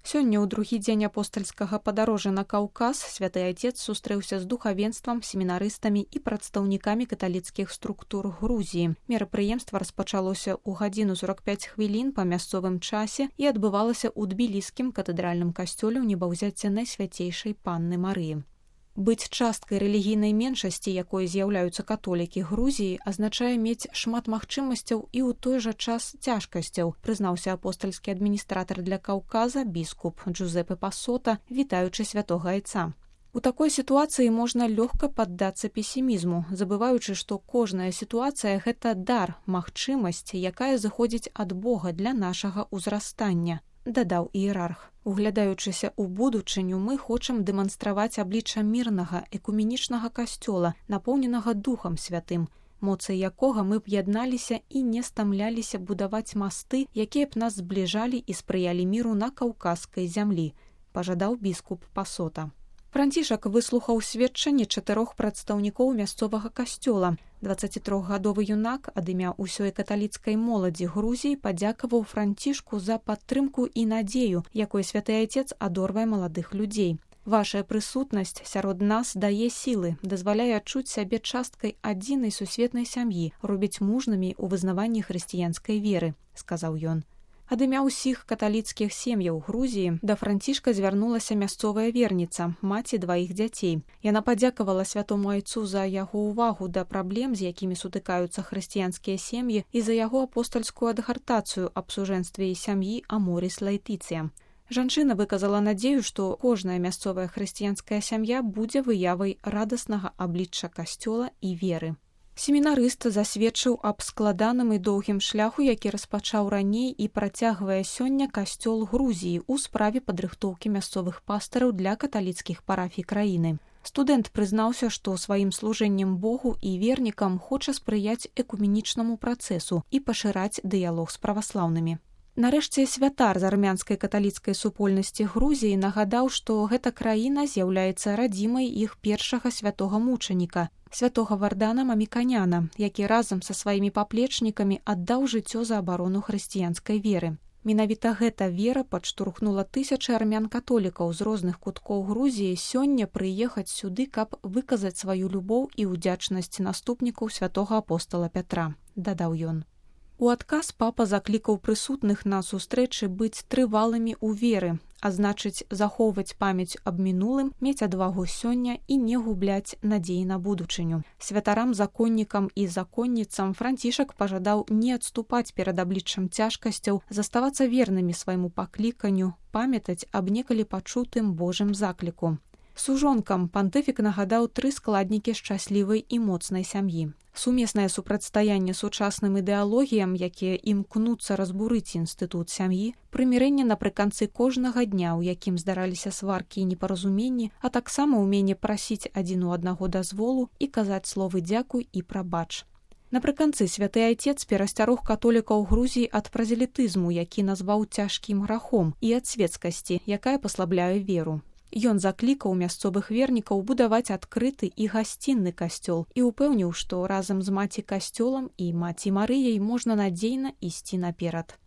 Сёння ў другі дзень апостальскага падарожжа на Каўказ святы айцец сустрэўся з духавенствам, семінарыстамі і прадстаўнікамі каталіцкіх структур Грузіі. Мерапрыемства распачалося ў 1:45 па мясцовым часе і адбывалася ў тбіліскім катэдральным касцёле ў небаўзяцця Найсвяцейшай Панны Марыі. Быць часткай рэлігійнай меншасці, якой з'яўляюцца католікі Грузіі, азначае мець шмат магчымасцяў і ў той жа час цяжкасцяў, прызнаўся апостальскі адміністратар для Каўказа біскуп Джузепе Пасота, вітаючы святога айца. У такой сітуацыі можна лёгка паддацца песімізму, забываючы, што кожная сітуацыя – гэта дар, магчымасць, якая зыходзіць ад Бога для нашага ўзрастання, дадаў іерарх. Углядаючыся ў будучыню, мы хочам дэманстраваць аблічча мірнага, экуменічнага касцёла, напоўненага Духам Святым, моцай якога мы б ядналіся і не стамляліся будаваць масты, якія б нас збліжалі і спрыялі міру на каўказскай зямлі, пажадаў біскуп Пасота. Францішак выслухаў сведчанне 4 прадстаўнікоў мясцовага касцёла. 23гадовы юнак ад імя ўсёй каталіцкай моладзі Грузіі падзякаваў Францішку за падтрымку і надзею, якой святы айцец адорвае маладых людзей. Вашая прысутнасць сярод нас дае сілы, дазваляе адчуць сябе часткай адзінай сусветнай сям'і, робіць мужнымі ў вызнаванні хрысціянскай веры, сказаў ён. Ад імя ўсіх каталіцкіх сем'яў Грузіі да Францішка звярнулася мясцовая верніца, маці 2 дзяцей. Яна падзякавала святому айцу за яго ўвагу да праблем, з якімі сутыкаюцца хрысціянскія сем'і, і за яго апостальскую адгартацыю аб сужэнстве і сям'і Аморіс Лаэтыцыя. Жанчына выказала надзею, што кожная мясцовая хрысціянская сям'я будзе выявай радаснага аблічча касцёла і веры. Семінарыст засведчыў аб складаным і доўгім шляху, які распачаў раней і працягвае сёння касцёл Грузіі ў справе падрыхтоўкі мясцовых пастыраў для каталіцкіх парафій краіны. Студэнт прызнаўся, што сваім служэннем Богу і вернікам хоча спрыяць экуменічнаму працэсу і пашыраць дыялог з праваслаўнымі. Нарэшце святар з армянскай каталіцкай супольнасці Грузіі нагадаў, што гэта краіна з'яўляецца радзімай іх першага святога мучаніка, святога Вардана Маміканяна, які разам са сваімі паплечнікамі аддаў жыццё за абарону хрысціянскай веры. Менавіта гэта вера падштурхнула тысячы армян-католікаў з розных куткоў Грузіі сёння прыехаць сюды, каб выказаць сваю любоў і ўдзячнасць наступнікаў святога апостала Пятра, дадаў ён. У адказ папа заклікаў прысутных на сустрэчы быць трывалымі ў веры, а значыць захоўваць памяць аб мінулым, мець адвагу сёння і не губляць надзеі на будучыню. Святарам, законнікам і законніцам Францішак пажадаў не адступаць перад абліччам цяжкасцяў, заставацца вернымі свайму пакліканню, памятаць аб некалі пачутым Божым закліку. Сужонкам пантыфік нагадаў 3 складнікі шчаслівай і моцнай сям'і. Сумеснае супрацьстаянне сучасным ідэалогіям, якія імкнуцца разбурыць інстытут сям'і, прымірэнне напрыканцы кожнага дня, у якім здараліся сваркі і непаразуменні, а таксама ўменне прасіць адзін у аднаго дазволу і казаць словы дзякуй і прабач. Напрыканцы святы айцец перасцярог католікаў Грузіі ад празелітызму, які назваў цяжкім грахом, і ад свецкасці, якая паслабляе веру. Ён заклікаў мясцовых вернікаў будаваць адкрыты і гасцінны касцёл і упэўніў, што разам з маці касцёлам і маці Марыяй можна надзейна ісці наперад.